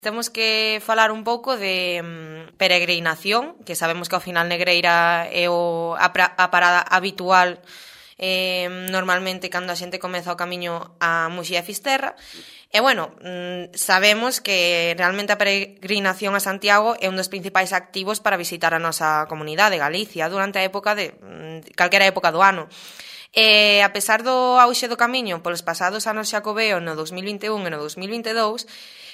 Temos que falar un pouco de peregrinación, que sabemos que ao final Negreira é a parada habitual normalmente cando a xente comeza o camiño a Muxía e Fisterra. E, bueno, sabemos que realmente a peregrinación a Santiago é un dos principais activos para visitar a nosa comunidade, Galicia, durante a época calquera época do ano. E, a pesar do auxe do camiño polos pasados anos xacobeo no 2021 e no 2022,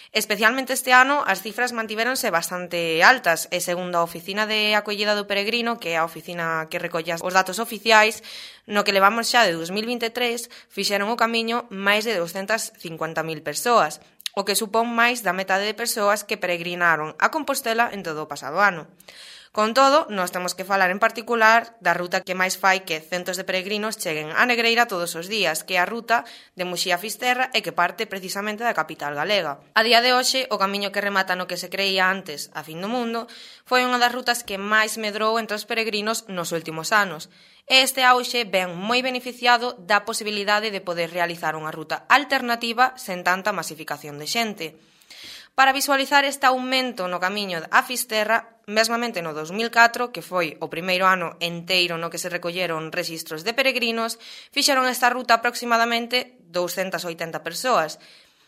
especialmente este ano, as cifras mantivéronse bastante altas e segundo a Oficina de Acollida do Peregrino, que é a oficina que recolle os datos oficiais, no que levamos xa de 2023, fixeron o camiño máis de 250.000 persoas, o que supón máis da metade de persoas que peregrinaron a Compostela en todo o pasado ano. Con todo, nós temos que falar en particular da ruta que máis fai que centos de peregrinos cheguen a Negreira todos os días, que é a ruta de Muxía a Fisterra e que parte precisamente da capital galega. A día de hoxe, o camiño que remata no que se creía antes a fin do mundo foi unha das rutas que máis medrou entre os peregrinos nos últimos anos. E este auxe ven moi beneficiado da posibilidade de poder realizar unha ruta alternativa sen tanta masificación de xente. Para visualizar este aumento no camiño a Fisterra, mesmamente no 2004, que foi o primeiro ano enteiro no que se recolleron rexistros de peregrinos, fixeron esta ruta aproximadamente 280 persoas.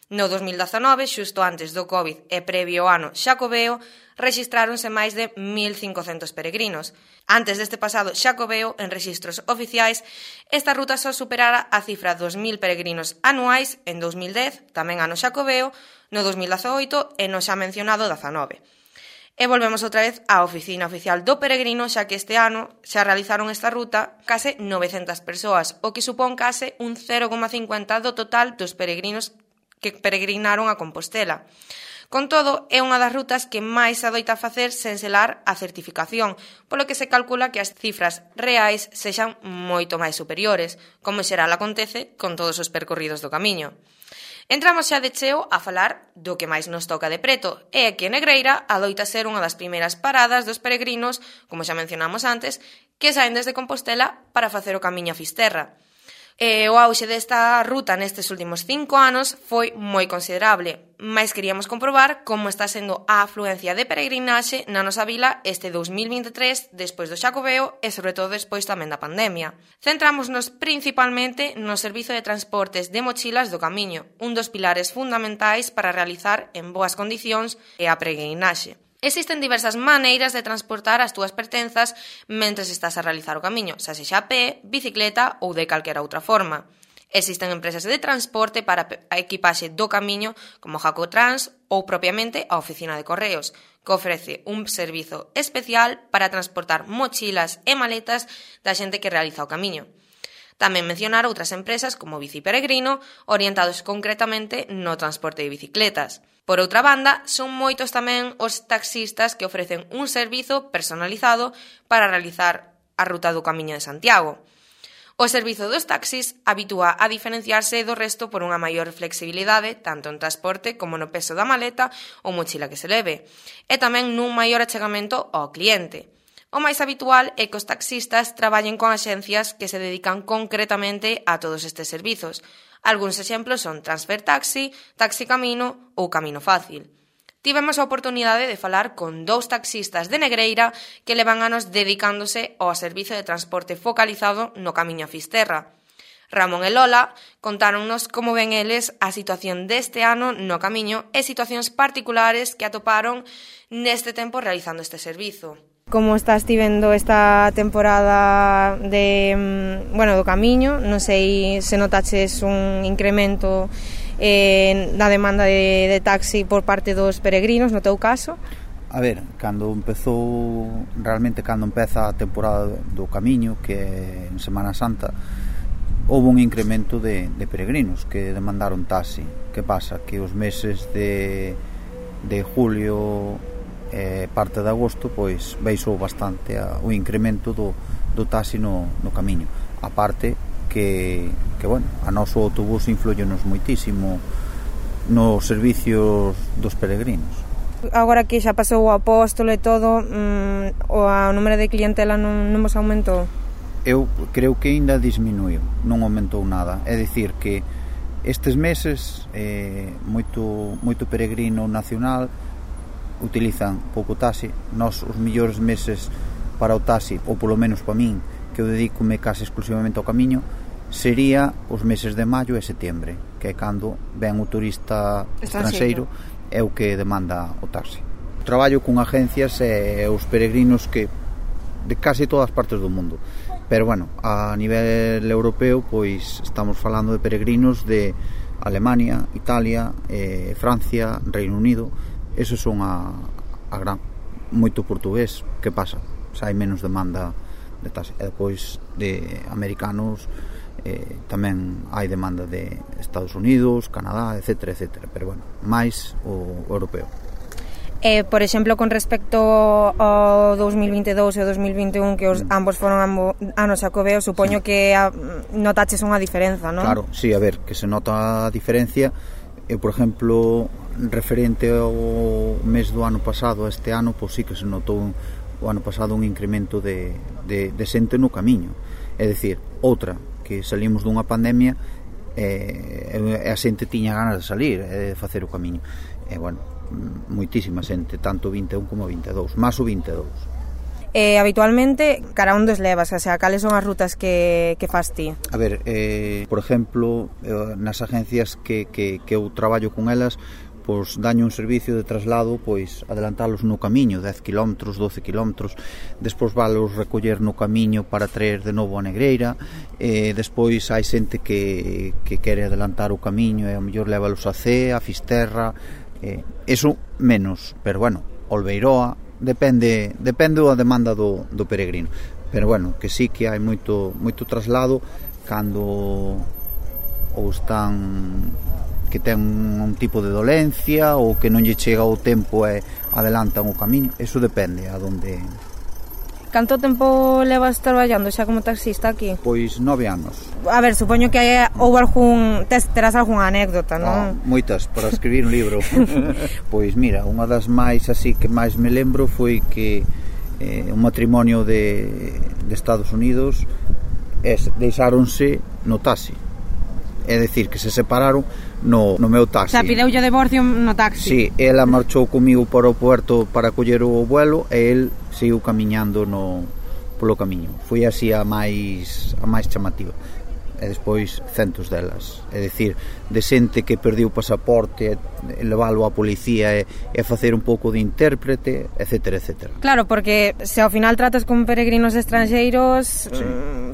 No 2019, xusto antes do COVID e previo ao ano xacobeo, rexistráronse máis de 1.500 peregrinos. Antes deste pasado xacobeo, en rexistros oficiais, esta ruta só superara a cifra 2.000 peregrinos anuais en 2010, tamén ano xacobeo, no 2018 e no xa mencionado 19. E volvemos outra vez á Oficina Oficial do Peregrino, xa que este ano xa realizaron esta ruta case 900 persoas, o que supón case un 0,50 do total dos peregrinos que peregrinaron a Compostela. Con todo, é unha das rutas que máis se adoita facer sen selar a certificación, polo que se calcula que as cifras reais sexan moito máis superiores, como xeral acontece con todos os percorridos do camiño. Entramos xa de cheo a falar do que máis nos toca de preto, e que Negreira adoita ser unha das primeiras paradas dos peregrinos, como xa mencionamos antes, que saen desde Compostela para facer o camiño a Fisterra. O auxe desta ruta nestes últimos 5 anos foi moi considerable, mais queríamos comprobar como está sendo a afluencia de peregrinaxe na nosa vila este 2023, despois do xacobeo e sobre todo despois tamén da pandemia. Centrámonos principalmente no servizo de transportes de mochilas do camiño, un dos pilares fundamentais para realizar en boas condicións a peregrinaxe. Existen diversas maneiras de transportar as túas pertenzas mentres estás a realizar o camiño, xa sexa a pé, bicicleta ou de calquera outra forma. Existen empresas de transporte para a equipaxe do camiño como Jacotrans ou propiamente a Oficina de Correos, que ofrece un servizo especial para transportar mochilas e maletas da xente que realiza o camiño. Tamén mencionar outras empresas como Bici Peregrino, orientados concretamente no transporte de bicicletas. Por outra banda, son moitos tamén os taxistas que ofrecen un servizo personalizado para realizar a ruta do Camiño de Santiago. O servizo dos taxis habitúa a diferenciarse do resto por unha maior flexibilidade, tanto en transporte como no peso da maleta ou mochila que se leve, e tamén nun maior achegamento ao cliente. O máis habitual é que os taxistas traballen con axencias que se dedican concretamente a todos estes servizos. Algúns exemplos son Transfer Taxi, Taxi Camino ou Camino Fácil. Tivemos a oportunidade de falar con 2 taxistas de Negreira que levan anos dedicándose ao servizo de transporte focalizado no Camiño a Fisterra. Ramón e Lola contáronnos como ven eles a situación deste ano no camiño e situacións particulares que atoparon neste tempo realizando este servizo. Como estás ti vendo esta temporada do camiño? Non sei se notaches un incremento na demanda de taxi por parte dos peregrinos, no teu caso? A ver, cando empeza a temporada do camiño, que é en Semana Santa, houve un incremento de peregrinos que demandaron taxi. Que pasa? Que os meses de julio parte de agosto pois baixou bastante o incremento do taxi no camiño. A parte que a noso autobús influyenos moitísimo nos servicios dos peregrinos. Agora que xa pasou o apóstolo e todo, o número de clientela non vos aumentou? Eu creo que ainda disminuiu, non aumentou nada. É dicir que Estes meses moito peregrino nacional utilizan pouco taxi. Nos os mellores meses para o taxi, ou polo menos para min, que eu dedícome case exclusivamente ao camiño, sería os meses de maio e setembro, que é cando ven o turista estranxeiro, é o que demanda o taxi. Traballo con agencias e os peregrinos que de case todas partes do mundo. Pero bueno, a nivel europeo pois estamos falando de peregrinos de Alemania, Italia, Francia, Reino Unido. Esos son a gran, moito portugués. Que pasa? Xa hai menos demanda de taxi. E depois de americanos tamén hai demanda de Estados Unidos, Canadá, etc, etc. Pero bueno, máis o europeo. Por exemplo, con respecto ao 2022 e ao 2021, que ambos foron anos xacobeo, supoño que notaches unha diferenza, non? Claro, sí, a ver, que se nota a diferencia. Eu, por exemplo, referente ao mes do ano pasado a este ano, pois sí que se notou o ano pasado un incremento de xente no camiño. É dicir, outra, que salimos dunha pandemia e a xente tiña ganas de salir e de facer o camiño. E, bueno, moitísima xente, tanto 21 como 22, máis o 22. Habitualmente, cara onde os levas? O sea, cales son as rutas que fas ti? A ver, por exemplo, nas agencias que eu traballo con elas, pois daño un servicio de traslado, pois adelantalos no camiño, 10 km, 12 km, despois valos recoller no camiño para traer de novo a Negreira, despois hai xente que quere adelantar o camiño e ao mellor levalos a Cee, a Fisterra, eso menos, pero bueno, Olveiroa, depende da demanda do peregrino. Pero bueno, que sí que hai moito traslado cando ou están que ten un tipo de dolencia ou que non lle chega o tempo e adelantan o camiño, eso depende a donde. Canto tempo levas traballando xa como taxista aquí? Pois 9 anos. A ver, supoño que terás algunha anécdota, non? Moitas, para escribir un libro. Pois mira, unha das máis así que máis me lembro foi que un matrimonio de Estados Unidos deixáronse no taxi. É dicir, que se separaron no meu taxi. O sea, pideulle o divorcio no taxi. Sí, ela marchou comigo para o puerto para coller o vuelo e el seguiu camiñando polo camiño. Foi así a máis chamativa. E despois centos delas. É dicir, de xente que perdiu o pasaporte, leválo á policía e facer un pouco de intérprete, etc, etc. Claro, porque se ao final tratas con peregrinos estranxeiros, sí,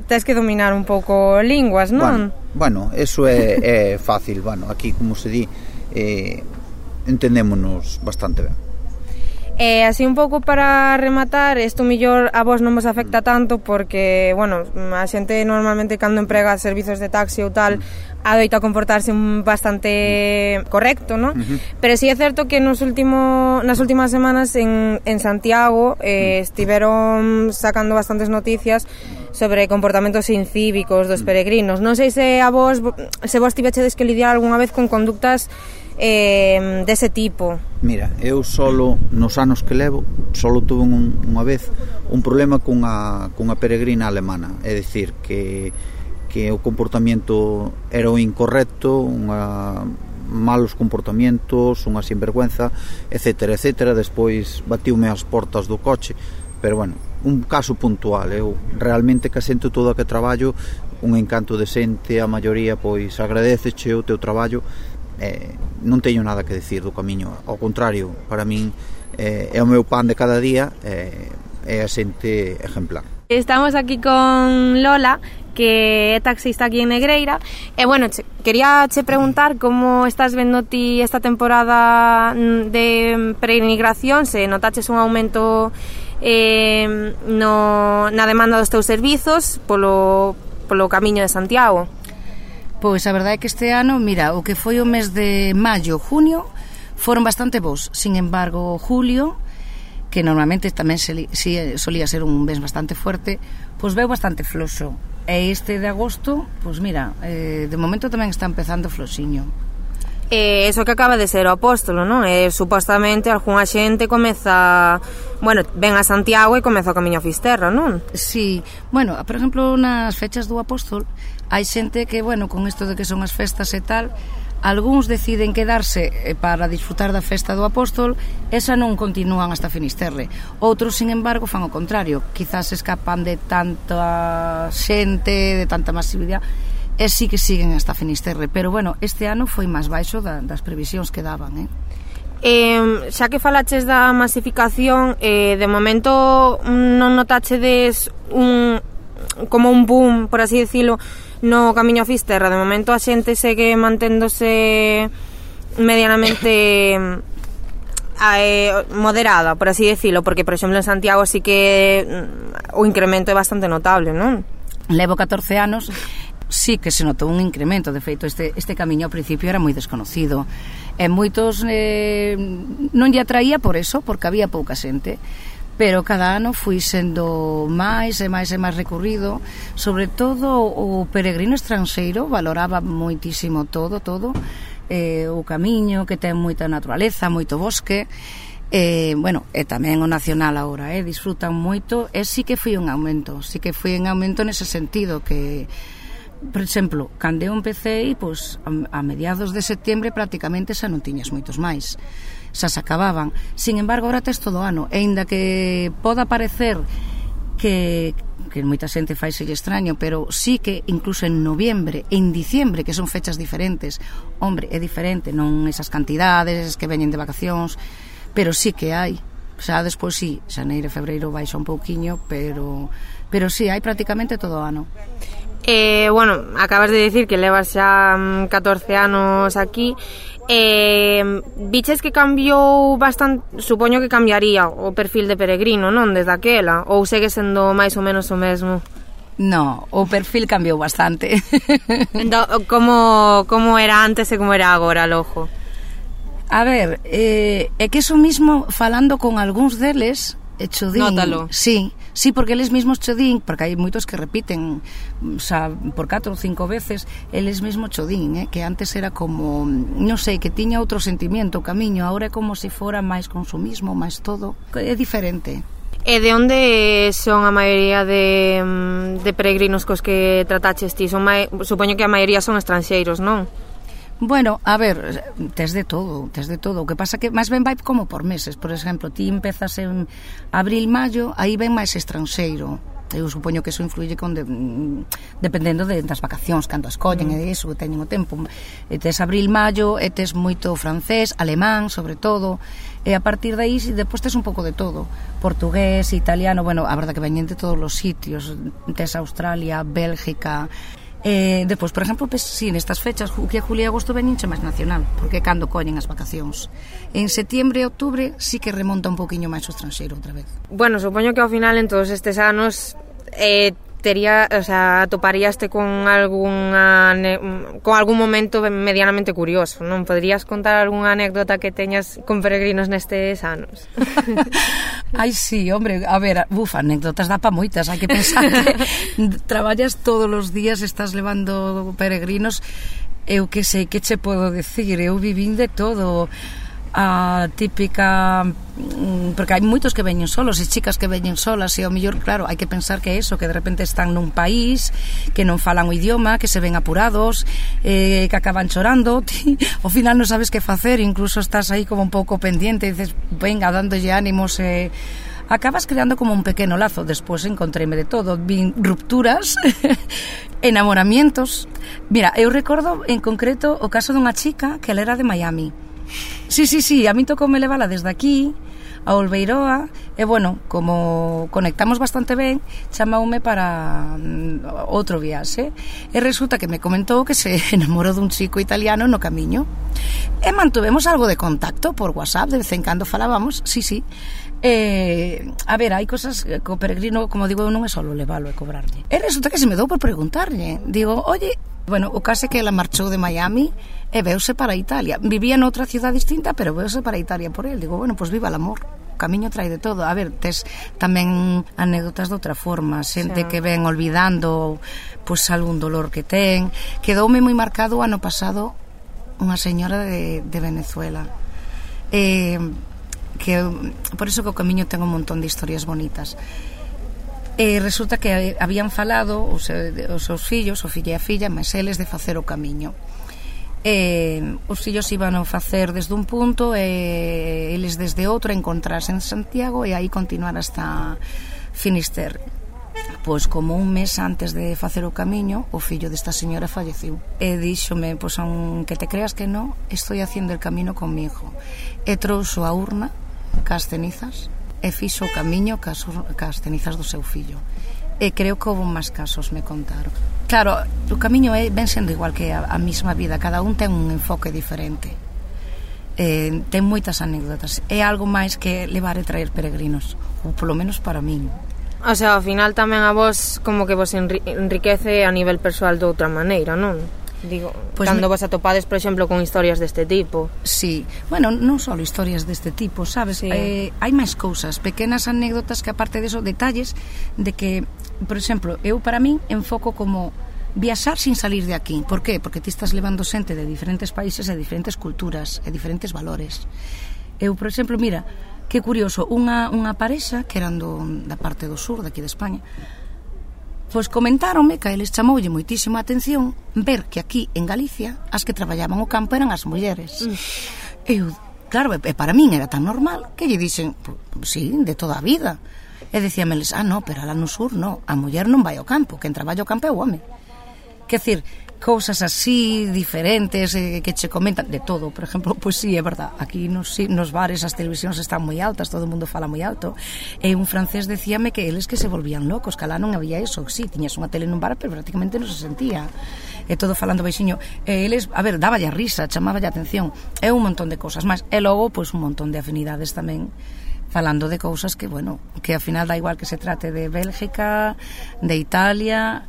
tes que dominar un pouco linguas, non? Bueno, eso é fácil. Bueno, aquí, como se di, entendémonos bastante ben. Así un pouco para rematar, isto mellor a vos non vos afecta tanto porque, bueno, a xente normalmente cando emprega servizos de taxi ou tal adoita comportarse bastante correcto, non? Pero sí é certo que nas últimas semanas en Santiago estiveron sacando bastantes noticias sobre comportamentos incívicos dos peregrinos. Non sei se vos tivechedes que lidiar algunha vez con conductas dese tipo. Mira, eu solo nos anos que levo solo tuve unha vez un problema cunha peregrina alemana, é dicir que o comportamento era o incorrecto, malos comportamentos, unha sinvergüenza, etc, etc. Despois batiume as portas do coche, pero bueno, un caso puntual. Eu realmente que asento todo a que traballo, un encanto de xente, a maioría pois agradeceche o teu traballo. Non teño nada que decir do camiño, ao contrario, para min é o meu pan de cada día, é a xente exemplar. Estamos aquí con Lola, que é taxista aquí en Negreira, e bueno, quería preguntar como estás vendo ti esta temporada de peregrinación, se notaches un aumento na demanda dos teus servizos polo camiño de Santiago. Pois a verdade é que este ano, mira, o que foi o mes de maio, junio, foron bastante bons. Sin embargo, julio, que normalmente tamén solía ser un mes bastante fuerte, pois veu bastante floxo. E este de agosto, pois mira, de momento tamén está empezando floxiño. Eso que acaba de ser o apóstolo, non? Supostamente algunha xente comeza, bueno, ven a Santiago e comeza o camiño a Fisterra, non? Sí, bueno, por exemplo, nas fechas do apóstol hai xente que, bueno, con isto de que son as festas e tal, algúns deciden quedarse para disfrutar da festa do apóstol, esa non continúan hasta Finisterre. Outros, sin embargo, fan o contrario, quizás escapan de tanta xente, de tanta masividade, e sí que siguen hasta Finisterre, pero bueno, este ano foi máis baixo das previsións que daban, xa que falaches da masificación, de momento non notachedes como un boom, por así decirlo, no camiño a Fisterra. De momento a xente segue manténdose medianamente moderada, por así decirlo, porque por exemplo en Santiago sí que o incremento é bastante notable, non? Levo 14 anos, sí que se notou un incremento. De feito, este camiño ao principio era moi desconocido e moitos non lle atraía por eso, porque había pouca xente, pero cada ano fui sendo máis e máis e máis recurrido. Sobre todo o peregrino estranxeiro valoraba moitísimo todo o camiño, que ten moita naturaleza, moito bosque, bueno, e tamén o nacional agora, disfrutan moito, e sí que foi un aumento nese sentido, que por exemplo, cando eu empecé, pois, a mediados de setembro prácticamente xa non tiñas moitos máis, xa se acababan. Sin embargo, agora tes todo o ano, e ainda que poda parecer que moita xente faiselle extraño, pero sí que incluso en noviembre e en diciembre, que son fechas diferentes, hombre, é diferente, non esas cantidades que veñen de vacacións, pero sí que hai. Xa despois sí, xaneiro e febreiro baixa un pouquiño, pero sí, hai prácticamente todo o ano. Bueno, acabas de decir que levas xa 14 anos aquí. Viches que cambiou bastante, supoño que cambiaría o perfil de peregrino, non, desde aquela, ou segue sendo máis ou menos o mesmo? No, o perfil cambiou bastante. Como era antes e como era agora, lojo? A ver, é que eso mismo, falando con algúns deles, chodín. Nótalo. Sí, porque eles mesmos chodín, porque hai moitos que repiten, xa, por 4 ou 5 veces, eles mesmos chodín, que antes era como, non sei, que tiña outro sentimiento o camiño, agora é como se fora máis consumismo, máis todo, é diferente. E de onde son a maioría de peregrinos cos que trataches ti? Supoño que a maioría son estranxeiros, non? Bueno, a ver, tes de todo. O que pasa que máis ben vai como por meses. Por exemplo, ti empezas en abril, maio, aí ven máis estranxeiro. Eu supoño que eso influye dependendo das vacacións, cando as collen e iso, que teñen o tempo. E tes abril, maio, e tes moito francés, alemán, sobre todo, e a partir de aí depois tes un pouco de todo. Portugués, italiano, bueno, a verdade que veñen de todos os sitios. Tes Australia, Bélgica. Depois, por exemplo, si nestas fechas, que julio e agosto veñenche máis nacional, porque é cando collen as vacacións. En setembro e outubro sí que remonta un poquinho máis o estranxeiro outra vez. Bueno, supoño que ao final en todos estes anos atoparíaste con algún momento medianamente curioso, non? Poderías contar algunha anécdota que teñas con peregrinos nestes anos? Ai, sí, hombre, a ver, anécdotas dá pa moitas, hai que pensar que traballas todos os días, estás levando peregrinos, eu que sei, que che podo decir, eu vivín de todo. A típica, porque hai moitos que veñen solos e chicas que veñen solas, e ao mellor, claro, hai que pensar que é eso, que de repente están nun país que non falan o idioma, que se ven apurados, que acaban chorando, ti, ao final non sabes que facer, incluso estás aí como un pouco pendiente e dices, venga, dándolle ánimos, acabas creando como un pequeno lazo. Despois encontreime de todo, vin rupturas, enamoramientos. Mira, eu recordo en concreto o caso dunha chica que ela era de Miami. Sí, a mí tocoume levala desde aquí a Olveiroa, e bueno, como conectamos bastante ben, chamoume para outro viaxe, e resulta que me comentou que se enamorou dun chico italiano no camiño, e mantuvemos algo de contacto por WhatsApp, de vez en cando falábamos, sí. A ver, hai cosas que o peregrino, como digo, non é só levalo e cobrarlle. E resulta que se me dou por preguntarlle, digo, oye, bueno, o caso é que ela marchou de Miami e veuse para Italia. Vivía noutra ciudad distinta, pero veuse para Italia por él. Digo, bueno, pues viva el amor. O camiño trae de todo. A ver, tes tamén anécdotas de outra forma. Xente que ven olvidando, pues algún dolor que ten. Quedoume moi marcado o ano pasado unha señora de Venezuela. Que por iso que o camiño ten un montón de historias bonitas. Resulta que habían falado os seus fillos, o fillo e a filla, mas eles de facer o camiño. Os fillos iban a facer desde un punto e eles desde outro, a encontrarse en Santiago e aí continuar hasta Finisterre. Pois como un mes antes de facer o camiño, o fillo desta señora falleceu. E díxome, pois aunque te creas que no, estoy haciendo el camino con mi hijo. E trouxo a urna cas cenizas e fixo o camiño cas cenizas do seu fillo. E creo que houve máis casos, me contaron. Claro, o camiño ven sendo igual que a mesma vida, cada un ten un enfoque diferente. Ten moitas anécdotas. É algo máis que levar e traer peregrinos, ou polo menos para min. O sea, ao final tamén a vos como que vos enriquece a nivel persoal de outra maneira, non? Digo, pues cando vos atopades, por exemplo, con historias deste tipo. Sí, bueno, non só historias deste tipo, sabes? Sí. Hai máis cousas, pequenas anécdotas que aparte de eso, detalles de que, por exemplo, eu para min enfoco como viaxar sin salir de aquí. Por qué? Porque ti estás levando xente de diferentes países e diferentes culturas e diferentes valores. Eu, por exemplo, mira, que curioso, unha parexa que eran da parte do sur, daqui de España, pois comentáronme que a eles chamoulle moitísima atención ver que aquí en Galicia as que traballaban o campo eran as mulleres. Eu, claro, para min era tan normal que lle dixen, sí, de toda a vida. E decíameles, no, pero alá no sur no, a muller non vai ao campo, quen traballa ao campo é o home. Quer decir, cousas así diferentes que che comentan de todo. Por exemplo, pois sí, é verdad, aquí nos bares as televisións están moi altas, todo o mundo fala moi alto, e un francés decíame que eles que se volvían locos, que alá non había eso. Sí, tiñas unha tele nun bar, pero prácticamente non se sentía, e todo falando baixiño, e eles, a ver, dáballe a risa, chamaballe a atención, e un montón de cousas máis, e logo, pois un montón de afinidades tamén, falando de cousas que, bueno, que ao final da igual que se trate de Bélgica, de Italia,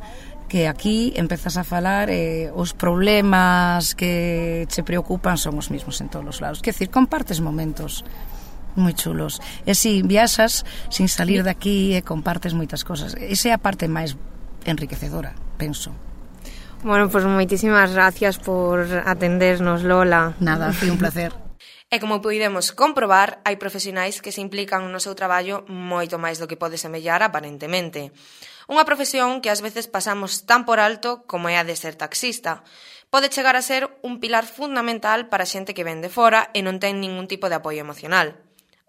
que aquí empezas a falar os problemas que che preocupan son os mismos en todos os lados. Quer decir, compartes momentos moi chulos. E si viaxas sin salir de aquí e compartes moitas cosas. Esa é a parte máis enriquecedora, penso. Bueno, pois moitísimas gracias por atendernos, Lola. Nada, foi un placer. E como podemos comprobar, hai profesionais que se implican no seu traballo moito máis do que pode semellar aparentemente. Unha profesión que ás veces pasamos tan por alto como é a de ser taxista. Pode chegar a ser un pilar fundamental para xente que ven de fora e non ten ningún tipo de apoio emocional.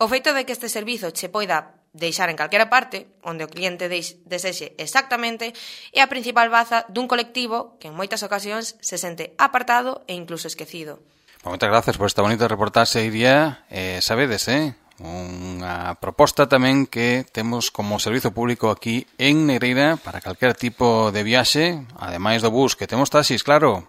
O feito de que este servizo che poida deixar en calquera parte, onde o cliente desexe exactamente, é a principal baza dun colectivo que en moitas ocasións se sente apartado e incluso esquecido. Moitas gracias por esta bonita reportaxe, Iria. Sabedes, unha proposta tamén que temos como servizo público aquí en Negreira para calquer tipo de viaxe, ademais do bus, que temos taxis, claro.